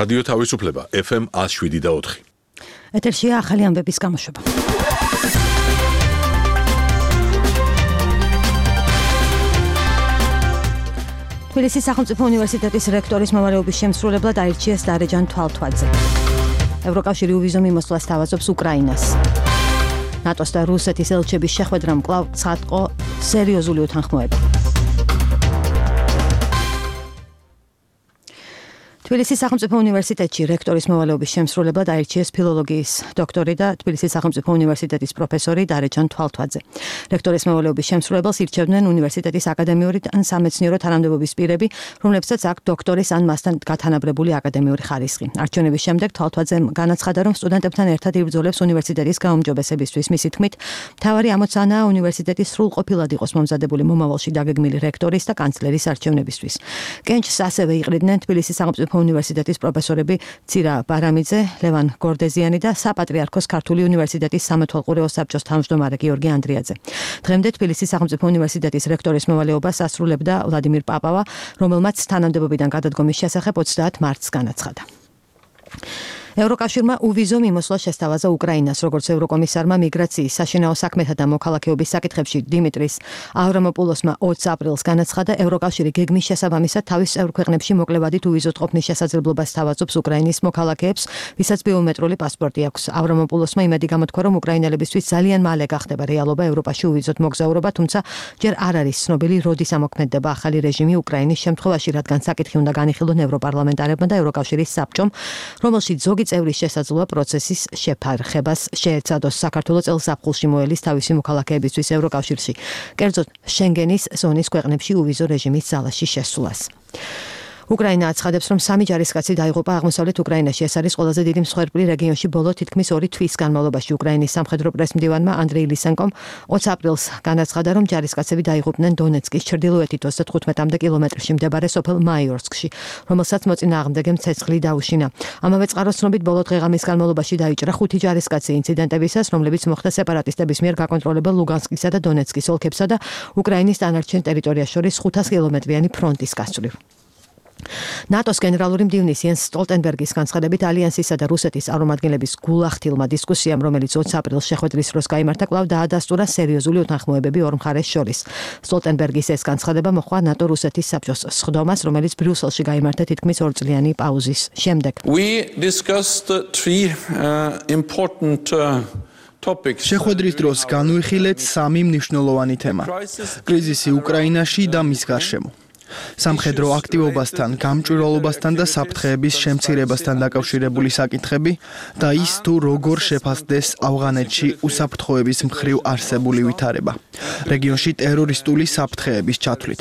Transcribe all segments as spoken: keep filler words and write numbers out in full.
რადიო თავისუფლება ეფ ემ ათს შვიდი და ოთხი. ეთერშია ახალი ამბების გამოშვება. თბილისის სახელმწიფო უნივერსიტეტის რექტორის მოვალეობის შემსრულებლად აირჩიეს დარეჯან თვალთვაძე. ევროკავშირი უვიზო მიმოსვლას თავაზობს უკრაინას. ნატოს და რუსეთის ელჩების შეხვედრამ კვლავ ცხადყო სერიოზული უთანხმოება. თბილისის სახელმწიფო უნივერსიტეტში რექტორის მოვალეობის შემსრულებლად აირჩიეს ფილოლოგიის დოქტორი და თბილისის სახელმწიფო უნივერსიტეტის პროფესორი დარეჯან თვალთვაძე. რექტორის მოვალეობის შემსრულებელს ირჩევდნენ უნივერსიტეტის აკადემიური ან სამეცნიერო თანამდებობის პირები, რომლებსაც აქვთ დოქტორის ან მასთან გათანაბრებული აკადემიური ხარისხი. არჩევნების შემდეგ თვალთვაძემ განაცხადა, რომ სტუდენტებთან ერთად იბრძოლებს უნივერსიტეტის გაუმჯობესებისთვის. მისი თქმით, მთავარი ამოცანაა უნივერსიტეტის სრულყოფილად იყოს მომზადებული მომავალში დაგეგმილი რექტორის და კანცლერის არჩევნებისთვის. კენჭს ასევე იყრიდნენ თბილისის სახელმწიფო უნივერსიტეტის პროფესორები ცირა ბარამიძე, ლევან გორდეზიანი და საპატრიარქოს ქართული უნივერსიტეტის სამეთვალყურეო საბჭოს თავმჯდომარე გიორგი ანდრიაძე. დღემდე თბილისის სახელმწიფო უნივერსიტეტის რექტორის მოვალეობას ასრულებდა ვლადიმირ პაპავა, რომელმაც თანამდებობიდან გადადგომის შესახებ ოცდაათ მარტს განაცხადა. ევროკავშირმა უვიზო მიმოსვლა შესთავაზა უკრაინას, როგორც ევროკომისარმა მიგრაციის, საშინაო საქმეთა და მოქალაქეობის საკითხებში დიმიტრის ავრამოპულოსმა ოცი აპრილს განაცხადა, ევროკავშირი გეგმის შესაბამისად თავის წევრ ქვეყნებში მოკლევადით უვიზოდ ყოფნის შესაძლებლობას თავაზობს უკრაინის მოქალაქეებს, ვისაც ბიომეტრიული პასპორტი აქვს. ავრამოპულოსმა იმედი გამოთქვა, რომ უკრაინელებისთვის ძალიან მალე გახდება რეალობა ევროპაში უვიზოდ მოგზაურობა, თუმცა ჯერ არ არის ცნობილი, როდის ამოქმედდება ახალი რეჟიმი უკრაინის შემთხვევაში, რადგან საკითხი უნდა განიხილონ ევროპარლამენტარებმა და ევროკავშირის საბჭომ, რომელშიც ზოგი წევრის შესაძლოა პროცესის შეფარხებას შეეცადოს. საქართველოს წელს ზაფხულში მოელის თავისი მოქალაქეებისთვის ევროკავშირში, კერძოდ შენგენის ზონის ქვეყნებში უვიზო რეჟიმის ძალაში შესვლას. უკრაინა აცხადებს, რომ სამი ჯარისკაცი დაიღუპა აღმოსავლეთ უკრაინაში. ეს არის ყველაზე დიდი მსხვერპლი რეგიონში ბოლო თითქმის ორი თვის განმავლობაში. უკრაინის სამხედრო პრესმდივანმა ანდრეი ლისენკომ ოცი აპრილს განაცხადა, რომ ჯარისკაცები დაიღუპნენ დონეცკის ჩრდილოეთით ოცდათხუთმეტ კილომეტრში მდებარე სოფელ მაიორსკში, რომელსაც მოწინააღმდეგემ ცეცხლი დაუშინა. ამავე წყაროს ცნობით, ბოლო დღე-ღამის განმავლობაში დაიჭრა ხუთი ჯარისკაცი ინციდენტებისას, რომლებიც მოხდა სეპარატისტების მიერ გაკონტროლებულ ლუგანსკისა და დონეცკის ოლქებსა და უკრაინის დანარჩენ ტერიტორიას შორის ხუთას კილომეტრიანი ფრონტის გასწვრივ. ნატოს გენერალური მდივნის იენს სტოლტენბერგის განცხადებით, ალიანსისა და რუსეთის წარმომადგენლების გულახდილმა დისკუსიამ, რომელიც ოცი აპრილს შეხვედრის დროს გაიმართა, კვლავ დაადასტურა სერიოზული უთანხმოებები ორ მხარეს შორის. სტოლტენბერგის ეს განცხადება მოჰყვა ნატო-რუსეთის საბჭოს სხდომას, რომელიც ბრიუსელში გაიმართა თითქმის ორწლიანი პაუზის შემდეგ. We discussed three uh, important uh... შეხვედრის დროს განვიხილეთ სამი მნიშვნელოვანი თემა: კრიზისი უკრაინაში და მის გარშემო. სამხედრო აქტივობასთან, გამჭვირვალობასთან და საფრთხეების შემცირებასთან დაკავშირებული საკითხები და ის თუ როგორ შეფასდეს ავღანეთში უსაფრთხოების მხრივ არსებული ვითარება, რეგიონში ტერორისტული საფრთხეების ჩათვლით.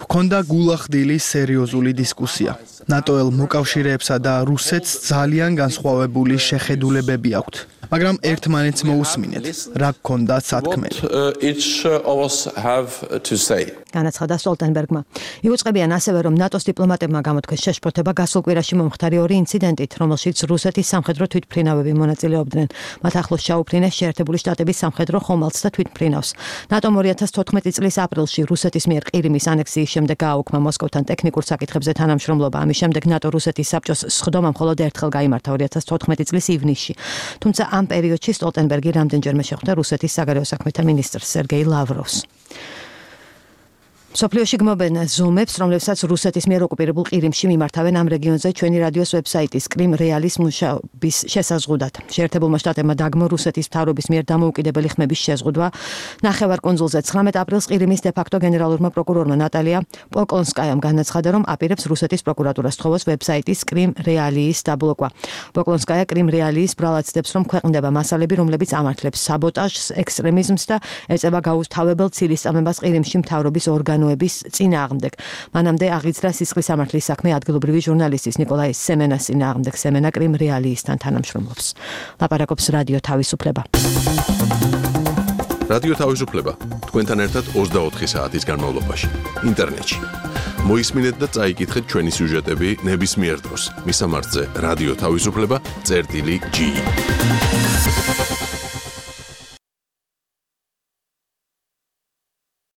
ჰქონდა გულახდილი სერიოზული დისკუსია. ნატოელ მოკავშირეებსა და რუსეთს ძალიან განსხვავებული შეხედულებები აქვთ, მაგრამ ერთმანეთს მოусმინეთ, რა გქონდათ სათქმელი. განაცხადა სტოლტენბერგმა. იუწყებიან ასევე, რომ ნატოს დიპლომატებმა გამოთქვეს შეშფოთება გასულ კვირაში მომხდარი ორი ინციდენტით, რომელშიც რუსეთის სამხედრო თვითმფრინავები მონაწილეობდნენ. მათ ახლოს ჩაუფრინეს შეერთებული შტატების სამხედრო ხომალდს და თვითმფრინავს. ნატომ ორი ათას თოთხმეტი წლის აპრილში რუსეთის მიერ ყირიმის ანექსიის შემდეგ გააუქმა მოსკოვთან ტექნიკურ საკითხებზე თანამშრომლობა. ამის შემდეგ ნატო-რუსეთის საბჭოს სხდომა მხოლოდ ერთხელ გაიმართა ორი ათას თოთხმეტი წლის ივნისში. თუმცა ამ პერიოდში სტოლტენბერგი რამდენჯერმე შეხვდა რუსეთის საგარეო საქმეთა მინისტრს სერგეი ლავროვს. სოფლიოში გმობენ ზომებს, რომლებსაც რუსეთის მიერ ოკუპირებულ ყირიმში მიმართავენ ამ რეგიონზე ჩვენი რადიოს ვებსაიტის კრიმ რეალის მუშაობის შესაზღუდად. შეერთებულმა შტატებმა დაგმო რუსეთის მთავრობის მიერ დამოუკიდებელი ხმების შეზღუდვა. ნახევარკუნძულზე ცხრამეტ აპრილს ყირიმის დე-ფაქტო გენერალურმა პროკურორმა ნატალია პოკლონსკაიამ განაცხადა, რომ აპირებს რუსეთის პროკურატურას თხოვოს ვებსაიტის კრიმ რეალიის დაბლოკვა. პოკლონსკაია კრიმ რეალიის ბრალად ცდებს, რომ ქვეყნდება მასალები, რომლებიც ამართლებს საბოტაჟს, ექსტრემიზმს და ეწევა გაუთავებელ ცილისწამებას ყირიმში მთავრობის ორგანო წინააღმდეგ. მანამდე აღიძრა სისხლის სამართლის საქმე ადგილობრივი ჟურნალისტის ნიკოლაი სემენას წინააღმდეგ. სემენა კრიმ რეალიისთან თანამშრომლობს. ლაპარაკობს რადიო თავისუფლება. რადიო თავისუფლება თქვენთან ერთად ოცდაოთხი საათის განმავლობაში ინტერნეტში. მოისმინეთ და წაიკითხეთ ჩვენი სიუჟეტები ნებისმიერ დროს. მისამართზე რადიო თავისუფლება წერტილი ჯი.